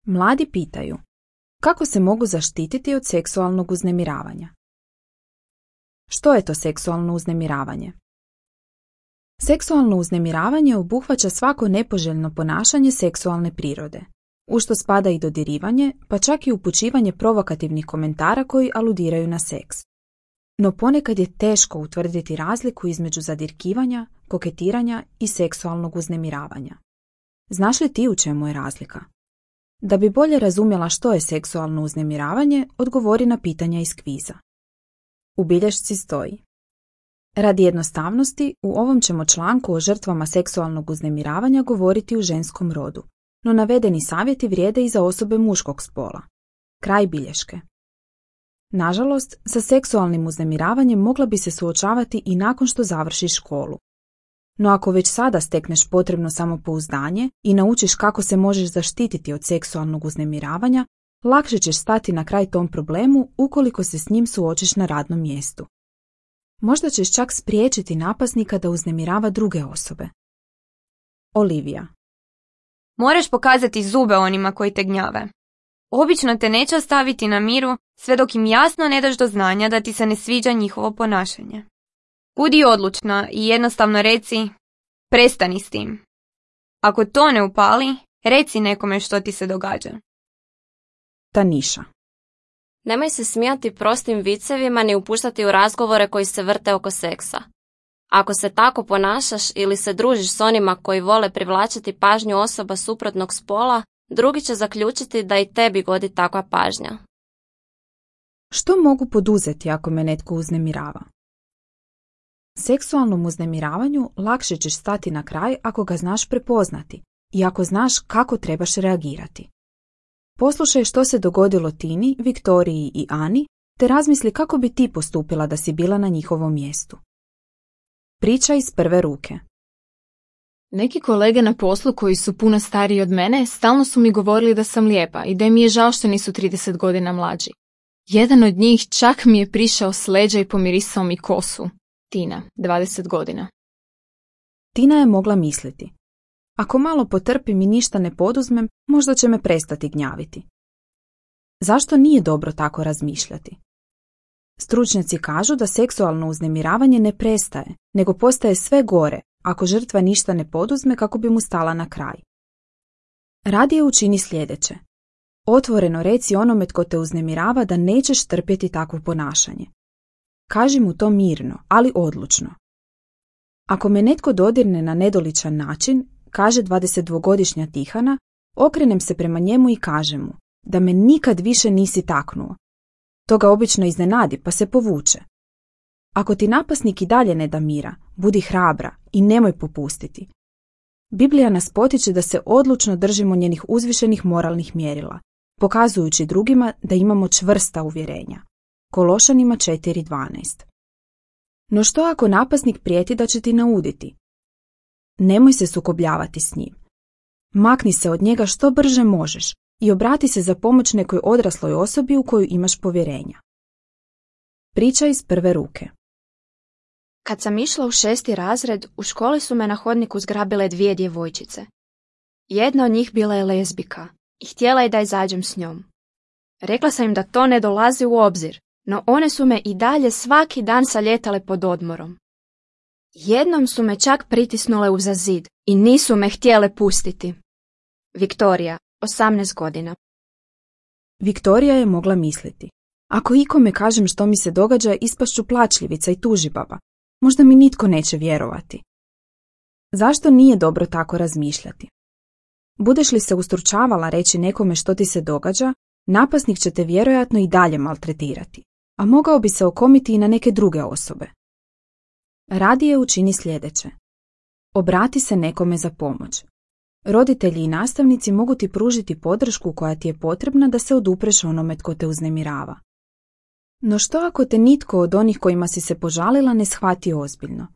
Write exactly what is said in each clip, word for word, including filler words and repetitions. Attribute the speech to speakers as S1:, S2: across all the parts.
S1: Mladi pitaju, kako se mogu zaštititi od seksualnog uznemiravanja? Što je to seksualno uznemiravanje? Seksualno uznemiravanje obuhvaća svako nepoželjno ponašanje seksualne prirode, u što spada i dodirivanje, pa čak i upućivanje provokativnih komentara koji aludiraju na seks. No ponekad je teško utvrditi razliku između zadirkivanja, koketiranja i seksualnog uznemiravanja. Znaš li ti u čemu je razlika? Da bi bolje razumjela što je seksualno uznemiravanje, odgovori na pitanja iz kviza. U bilješci stoji: radi jednostavnosti, u ovom ćemo članku o žrtvama seksualnog uznemiravanja govoriti u ženskom rodu, no navedeni savjeti vrijede i za osobe muškog spola. Kraj bilješke. Nažalost, sa seksualnim uznemiravanjem mogla bi se suočavati i nakon što završiš školu. No ako već sada stekneš potrebno samopouzdanje i naučiš kako se možeš zaštititi od seksualnog uznemiravanja, lakše ćeš stati na kraj tom problemu ukoliko se s njim suočiš na radnom mjestu. Možda ćeš čak spriječiti napasnika da uznemirava druge osobe. Olivija.
S2: Moraš pokazati zube onima koji te gnjave. Obično te neće ostaviti na miru sve dok im jasno ne daš do znanja da ti se ne sviđa njihovo ponašanje. Budi odlučna i jednostavno reci: prestani s tim. Ako to ne upali, reci nekome što ti se događa.
S1: Taniša.
S3: Nemoj se smijati prostim vicevima ni upuštati u razgovore koji se vrte oko seksa. Ako se tako ponašaš ili se družiš s onima koji vole privlačiti pažnju osoba suprotnog spola, drugi će zaključiti da i tebi godi takva pažnja.
S1: Što mogu poduzeti ako me netko uznemirava? Seksualnom uznemiravanju lakše ćeš stati na kraj ako ga znaš prepoznati i ako znaš kako trebaš reagirati. Poslušaj što se dogodilo Tini, Viktoriji i Ani, te razmisli kako bi ti postupila da si bila na njihovom mjestu. Priča iz prve ruke.
S4: Neki kolege na poslu koji su puno stariji od mene stalno su mi govorili da sam lijepa i da mi je žao što nisu trideset godina mlađi. Jedan od njih čak mi je prišao s leđa i pomirisao mi kosu. Tina, dvadeset godina.
S1: Tina je mogla misliti: ako malo potrpim i ništa ne poduzmem, možda će me prestati gnjaviti. Zašto nije dobro tako razmišljati? Stručnjaci kažu da seksualno uznemiravanje ne prestaje, nego postaje sve gore ako žrtva ništa ne poduzme kako bi mu stala na kraj. Radije učini sljedeće. Otvoreno reci onome tko te uznemirava da nećeš trpjeti takvo ponašanje. Kaži mu to mirno, ali odlučno. Ako me netko dodirne na nedoličan način, kaže dvadesetdvogodišnja Tihana, okrenem se prema njemu i kažem mu da me nikad više nisi taknuo. To ga obično iznenadi pa se povuče. Ako ti napasnik i dalje ne da mira, budi hrabra i nemoj popustiti. Biblija nas potiče da se odlučno držimo njenih uzvišenih moralnih mjerila, pokazujući drugima da imamo čvrsta uvjerenja. Kološanima četiri dvanaest. No što ako napasnik prijeti da će ti nauditi? Nemoj se sukobljavati s njim. Makni se od njega što brže možeš i obrati se za pomoć nekoj odrasloj osobi u koju imaš povjerenja. Priča iz prve ruke.
S5: Kad sam išla u šesti razred, u školi su me na hodniku zgrabile dvije djevojčice. Jedna od njih bila je lezbika i htjela je da izađem s njom. Rekla sam im da to ne dolazi u obzir, no one su me i dalje svaki dan saljetale pod odmorom. Jednom su me čak pritisnule uza zid i nisu me htjele pustiti. Viktorija, osamnaest godina.
S1: Viktorija je mogla misliti: ako ikome kažem što mi se događa, ispašću plačljivica i tužibaba. Možda mi nitko neće vjerovati. Zašto nije dobro tako razmišljati? Budeš li se ustručavala reći nekome što ti se događa, napasnik će te vjerojatno i dalje maltretirati, a mogao bi se okomiti i na neke druge osobe. Radije učini sljedeće. Obrati se nekome za pomoć. Roditelji i nastavnici mogu ti pružiti podršku koja ti je potrebna da se odupreš onome tko te uznemirava. No što ako te nitko od onih kojima si se požalila ne shvati ozbiljno?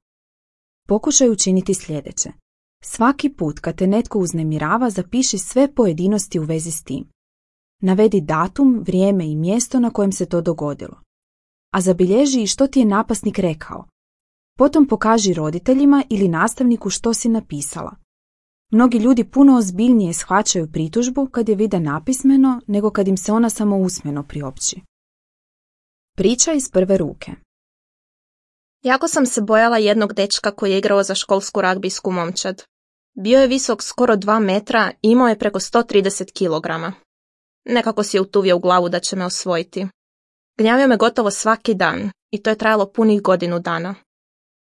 S1: Pokušaj učiniti sljedeće. Svaki put kad te netko uznemirava, zapiši sve pojedinosti u vezi s tim. Navedi datum, vrijeme i mjesto na kojem se to dogodilo. A zabilježi i što ti je napasnik rekao. Potom pokaži roditeljima ili nastavniku što si napisala. Mnogi ljudi puno ozbiljnije shvaćaju pritužbu kad je vide napismeno nego kad im se ona samo usmeno priopći. Priča iz prve ruke.
S6: Jako sam se bojala jednog dečka koji je igrao za školsku ragbijsku momčad. Bio je visok skoro dva metra i imao je preko sto trideset kilograma. Nekako si je utuvio u glavu da će me osvojiti. Gnjavio me gotovo svaki dan i to je trajalo punih godinu dana.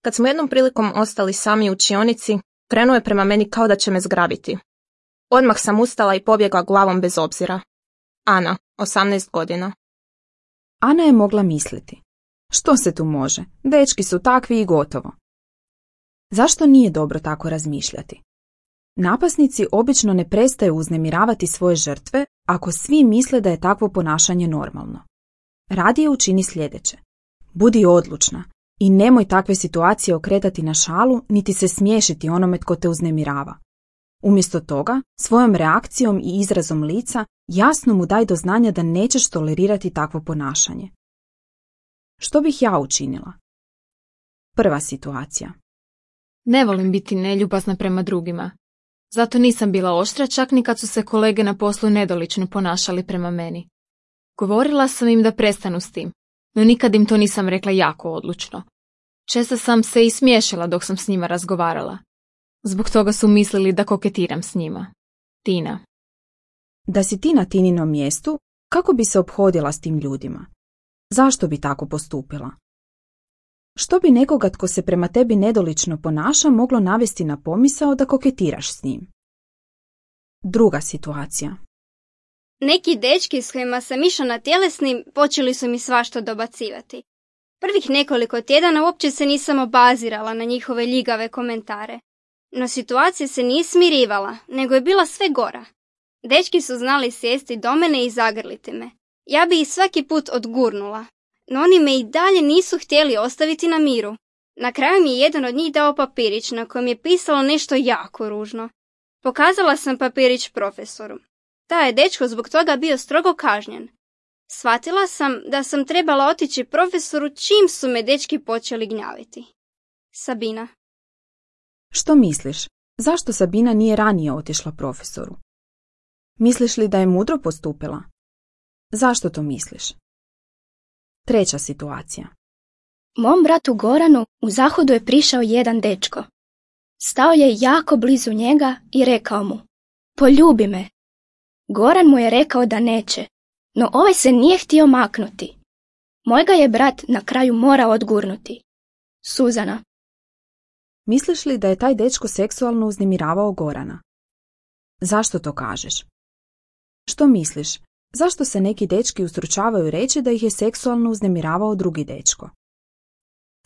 S6: Kad smo jednom prilikom ostali sami u učionici, krenuo je prema meni kao da će me zgrabiti. Odmah sam ustala i pobjegla glavom bez obzira. Ana, osamnaest godina.
S1: Ana je mogla misliti. Što se tu može? Dečki su takvi i gotovo. Zašto nije dobro tako razmišljati? Napasnici obično ne prestaju uznemiravati svoje žrtve ako svi misle da je takvo ponašanje normalno. Radije učini sljedeće. Budi odlučna i nemoj takve situacije okretati na šalu niti se smiješiti onome tko te uznemirava. Umjesto toga, svojom reakcijom i izrazom lica jasno mu daj do znanja da nećeš tolerirati takvo ponašanje. Što bih ja učinila? Prva situacija.
S4: Ne volim biti neljubazna prema drugima. Zato nisam bila oštra čak ni kad su se kolege na poslu nedolično ponašali prema meni. Govorila sam im da prestanu s tim, no nikad im to nisam rekla jako odlučno. Često sam se i smiješila dok sam s njima razgovarala. Zbog toga su mislili da koketiram s njima. Tina.
S1: Da si ti na Tininom mjestu, kako bi se ophodila s tim ljudima? Zašto bi tako postupila? Što bi nekoga tko se prema tebi nedolično ponaša moglo navesti na pomisao da koketiraš s njim? Druga situacija.
S7: Neki dečki s kojima sam išla na tjelesnim počeli su mi svašta dobacivati. Prvih nekoliko tjedana uopće se nisam obazirala na njihove ljigave komentare. No situacija se nije smirivala, nego je bila sve gora. Dečki su znali sjesti do mene i zagrliti me. Ja bi ih svaki put odgurnula, no oni me i dalje nisu htjeli ostaviti na miru. Na kraju mi je jedan od njih dao papirić na kojem je pisalo nešto jako ružno. Pokazala sam papirić profesoru. Taj je dečko zbog toga bio strogo kažnjen. Shvatila sam da sam trebala otići profesoru čim su me dečki počeli gnjaviti. Sabina.
S1: Što misliš? Zašto Sabina nije ranije otišla profesoru? Misliš li da je mudro postupila? Zašto to misliš? Treća situacija.
S5: Mom bratu Goranu u zahodu je prišao jedan dečko. Stao je jako blizu njega i rekao mu: poljubi me. Goran mu je rekao da neće, no ovaj se nije htio maknuti. Moj ga je brat na kraju morao odgurnuti. Suzana.
S1: Misliš li da je taj dečko seksualno uznemiravao Gorana? Zašto to kažeš? Što misliš? Zašto se neki dečki ustručavaju reći da ih je seksualno uznemiravao drugi dečko?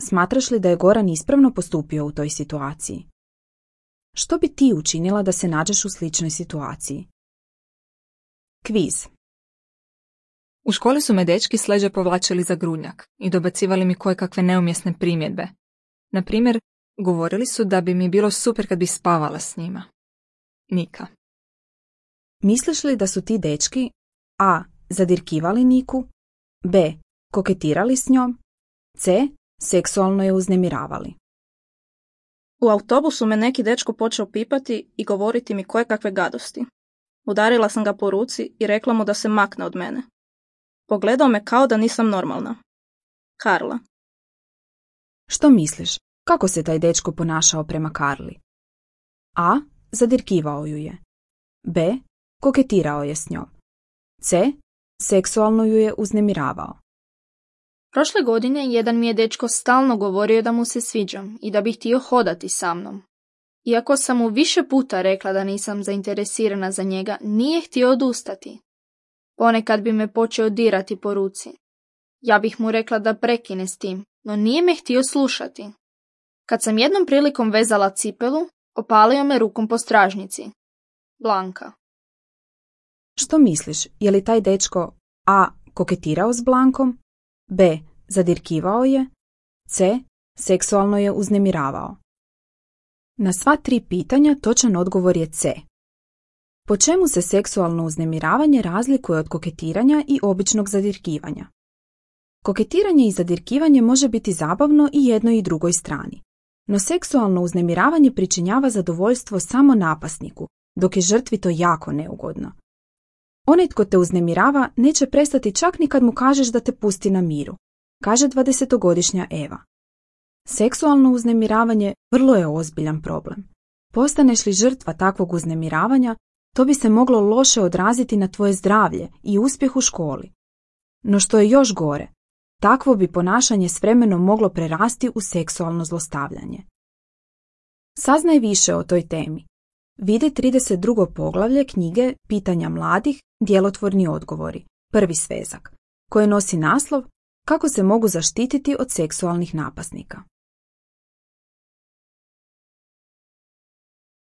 S1: Smatraš li da je Goran ispravno postupio u toj situaciji? Što bi ti učinila da se nađeš u sličnoj situaciji? Kviz.
S8: U školi su me dečki s leđa povlačili za grudnjak i dobacivali mi kojekakve neumjesne primjedbe. Na primjer, govorili su da bi mi bilo super kad bi spavala s njima. Nika.
S1: Misliš li da su ti dečki a. zadirkivali Niku, b. koketirali s njom, c. seksualno je uznemiravali?
S6: U autobusu me neki dečko počeo pipati i govoriti mi kojekakve gadosti. Udarila sam ga po ruci i rekla mu da se makne od mene. Pogledao me kao da nisam normalna. Karla.
S1: Što misliš? Kako se taj dečko ponašao prema Karli? A. zadirkivao ju je. b. koketirao je s njom. c. seksualno ju je uznemiravao.
S9: Prošle godine jedan mi je dečko stalno govorio da mu se sviđam i da bi htio hodati sa mnom. Iako sam mu više puta rekla da nisam zainteresirana za njega, nije htio odustati. Ponekad bi me počeo dirati po ruci. Ja bih mu rekla da prekine s tim, no nije me htio slušati. Kad sam jednom prilikom vezala cipelu, opalio me rukom po stražnici. Blanka.
S1: Što misliš, je li taj dečko a. koketirao s Blankom, b. zadirkivao je, c. seksualno je uznemiravao? Na sva tri pitanja točan odgovor je c. Po čemu se seksualno uznemiravanje razlikuje od koketiranja i običnog zadirkivanja? Koketiranje i zadirkivanje može biti zabavno i jednoj i drugoj strani. No seksualno uznemiravanje pričinjava zadovoljstvo samo napasniku, dok je žrtvi to jako neugodno. Onaj tko te uznemirava neće prestati čak ni kad mu kažeš da te pusti na miru, kaže dvadesetogodišnja Eva. Seksualno uznemiravanje vrlo je ozbiljan problem. Postaneš li žrtva takvog uznemiravanja, to bi se moglo loše odraziti na tvoje zdravlje i uspjeh u školi. No što je još gore, takvo bi ponašanje s vremenom moglo prerasti u seksualno zlostavljanje. Saznaj više o toj temi. Vidi trideset drugo poglavlje knjige Pitanja mladih, djelotvorni odgovori, prvi svezak, koje nosi naslov Kako se mogu zaštititi od seksualnih napasnika.